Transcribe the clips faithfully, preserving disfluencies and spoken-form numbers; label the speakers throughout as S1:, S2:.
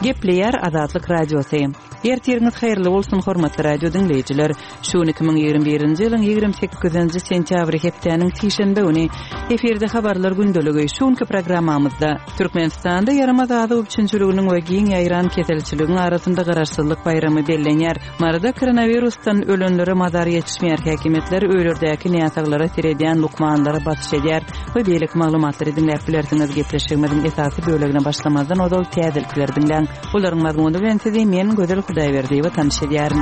S1: Gepleýär Azatlyk Radiosy. Ertiriňiz haýyrly bolsun hormatly radio diňleýjiler. Şu gün iki müň ýigrimi birinji ýylyň ýigrimi sekizinji sentýabry hepdäniň sişenbe güni efirde habarlar gündeligi. Şu günki programmamyzda Türkmenistanda ýaramaz azyk üpjünçiliginiň we giň ýaýran keselçiligiň arasynda garaşsyzlyk baýramy bellenýär. Maryda koronawirusdan ölenlere mazar ýetişmeýär. Häkimiýetler öýlerdäki näsaglara seredýän lukmanlara basyş edýär we beýleki maglumatlary diňläp bilersiňiz. Gepleşigimiziň esasy bölegine başlamazdan ozal täzelikleri diňläň. Bularyň mazmuny bilen sizi men Gözel Hudaýberdiýewa tanyş edýärin.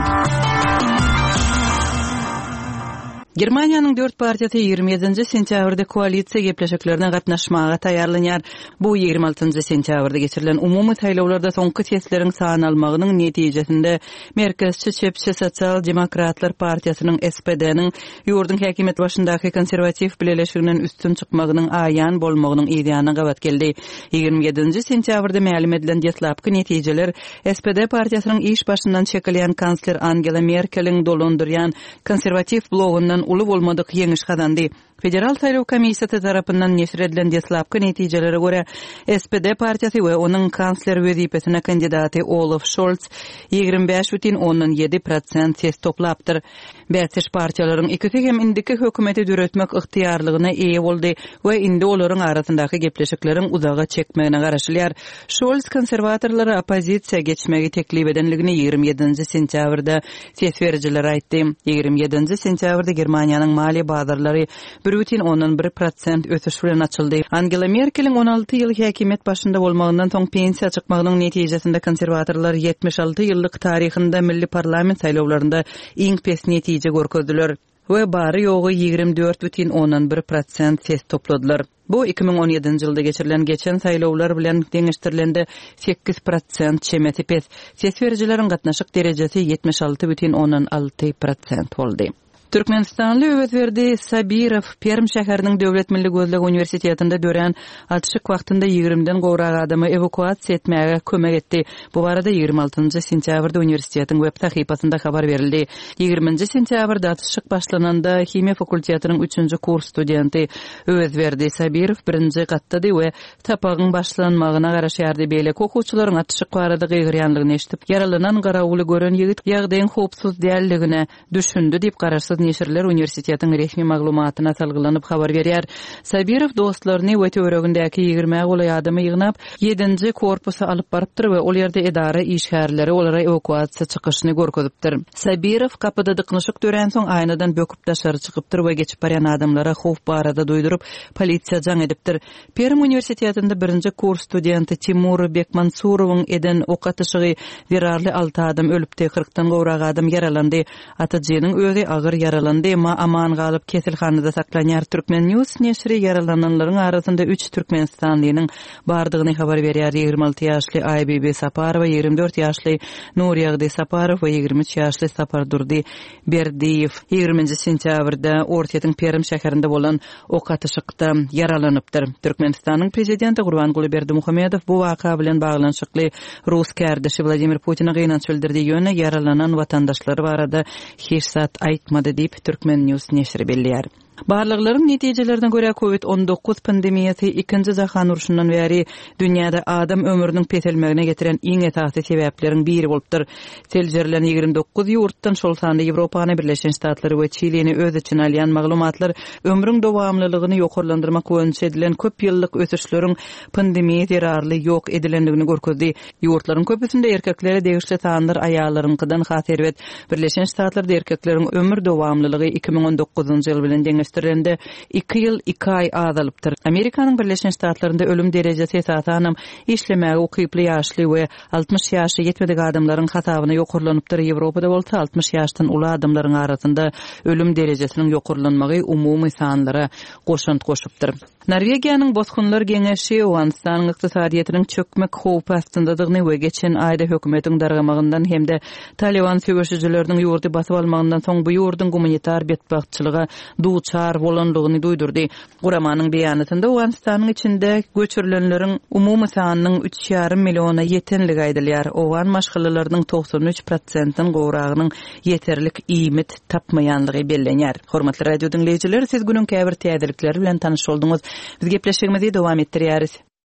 S1: Germaniýanyň dört partiýasy ýigrimi ýedinji sentýabrda koalisiýa gepleşiklerine gatnaşmaga taýýarlanýar. Bu ýigrimi altynjy sentýabrda geçirilen umumy saýlawlarda soňky sesleriň sanalmagynyň netijesinde Merkezçi Çepçi Sosial Demokratlar Partiýasynyň S P D-niň ýurduň häkimiýet başyndaky konserwatiw bileleşiginden üstün çykmagynyň aýan bolmagynyň ýany gabat geldi. Ýigrimi ýedinji sentýabrda mälim edilen deslapky netijeler S P D partiýasynyň iş başyndan çekilýän kansler Angela Merkeliň dolandyrýan konserwatiw blogundan uly bolmadyk ýeňiş gazandy. Federal Saýlaw Komissiýasy tarapyndan neşir edilen deslapky netijelere görä S P D partiýasy we onuň kansler wezipesine kandidaty Olaf Scholz ýigrimi bäş bütin ondan ýedi prosent ses toplapdyr. Bäsdeş partiýalaryň ikisi hem indiki hökümeti döretmek ygtyýarlygyna eýe boldy we indi olaryň arasyndaky gepleşikleriň uzaga çekmegine garaşylýar. Scholz konserwatorlara oppozisiýa geçmegi teklip edenligini ýigrimi ýedinji sentýabrda ses berijilere aýtdy. Ýigrimi ýedinji sentýabrda Germaniýanyň maliýe bazarlary bir bütin ondan bir prosent ösüş bilen açyldy. Angela Merkeliň on alty ýyl häkimiýet başynda bolmagyndan soň pensiýa çykmagynyň netijesinde konserwatorlar ýetmiş alty ýyllyk taryhynda milli parlament saýlawlarynda iň pes netije görkezdiler we bary ýogy ýigrimi dört bütin ondan bir prosent ses topladylar. Bu iki müň on ýedinji ýylda geçirilen geçen saýlawlar bilen deňeşdirilende sekiz prosent çemesi pes. Ses berijileriň gatnaşyk derejesi ýetmiş alty bütin ondan alty prosent boldy. Türkmenistanly Öwezberdi Sabirow Perm şäheriniň Döwlet Milli Gözleg Uniwersitetinde dörän atyşyk wagtynda ýigrimden gowrak adamy ewakuasiýa etmäge kömek etdi. Bu barada ýigrimi altynjy sentýabrda uniwersitetiň web sahypasynda habar berildi. Ýigriminji sentýabrda atyşyk başlananda himiýa fakultetiniň üçünji kurs studenti Öwezberdi Sabirow birinji gatdady we tapagyň başlanmagyna garaşýardy. Beýleki okuwçylaryň atyşyk barada gygyrýanlygyny eşidip, ýaralanan garawuly gören ýigit ýagdaýyň howpsuz däldigine düşündi diýip garaşsyz neşirler uniwersitetiň resmi maglumatyna salgylanyp habar berýär. Sabirow dostlaryny we töweregindäki ýigirmä golaý adamy ýygnap, ýedinji korpusa alyp barypdyr we ol ýerde edara işgärleri olara ewakuasiýa çykyşyny görkezipdir. Sabirow kapyda dyknyşyk dörän soň aýnadan böküp daşary çykypdyr we geçip barýan adamlara howp barada duýduryp, polisiýa jaň edipdir. Perm uniwersitetinde birinji kurs studenti Timur Bekmansurowyň eden ok atyşygy zerarly alty adam ölüpdi, kyrkdan gowrak adam ýaralandy. Atyjynyň özi agyr ýaralandy, emma aman galyp keselhanada saklanýar. Türkmen News neşiri ýaralananlaryň arasynda üç Türkmenistanlynyň bardygyny habar berýär. Ýigrimi alty ýaşly Aýbibi Saparowa, ýigrimi dört ýaşly Nurýagdy Saparow we ýigrimi üç ýaşly Sapardurdy Berdiýew ýigriminji sentýabrda Orsýetiň Perm şäherinde bolan ok atyşykda ýaralanypdyr. Türkmenistanyň prezidenti Gurbanguly Berdimuhamedow bu waka bilen baglanyşykly Rus kärdeşi Wladimir Putine gynanç bildirdi. Ýöne ýaralanan watandaşlary barada hiç zat aýtmady diýip Türkmen News neşiri belleýär. Barlaglaryň netijelerine görä COVID on dokuz pandemiýasy ikinji jahan urşundan bäri dünýäde adam ömrüniň peselmegine getiren iň esasy sebäpleriň biri bolupdyr. Seljerilen ýigrimi dokuz ýurtdan şol sanda Ýewropany, Birleşen Ştatlary we Çilini öz içine alýan maglumatlar ömrüň dowamlylygyny ýokarlandyrmak boýunça edilen köp ýyllyk ösüşleriň pandemiýa zerarly ýok edilendigini görkezdi. Ýurtlaryň köpüsinde erkeklere degişli sanlar aýallaryňkydan has erbet. Birleşen Ştatlarda erkekleriň ömür dowamlylygy iki müň on dokuzynjy ýyl bilen deňeşdirilende iki ýyl iki aý azalypdyr. Amerikanyň Birleşen Ştatlarynda ölüm derejesi esasanam işlemäge ukyply ýaşly we altmyş ýaşy ýetmedik adamlaryň hasabyna ýokarlanypdyr. Ýewropada bolsa altmyş ýaşdan uly adamlaryň arasynda ölüm derejesiniň ýokarlanmagy umumy sanlara goşant goşupdyr. Norwegiýanyň Bosgunlar Geňeşi Owganystanyň ykdysadyýetiniň çökmek howpy astyndadygyny we geçen aýda hökümetiň dargamagyndan hem-de Taliban söweşijileriniň ýurdy basyp almagyndan soň bu ýurduň gumanitar betbagtçylyga duçar bolanlygyny duýdurdy. Guramanyň beýanatynda Owganystanyň içinde göçürilenleriň umumy sanynyň üç ýarym milliona ýetenligi aýdylýar. Owgan maşgalalarynyň togsan üç prosentden gowragynyň ýeterlik iýmit tapmaýanlygy bellenýär. Hormatly radio diňleýjiler, siz günüň käbir täzelikleri bilen tanyş bolduňyz. Biz gepleşigimizi dowam etdirýäris.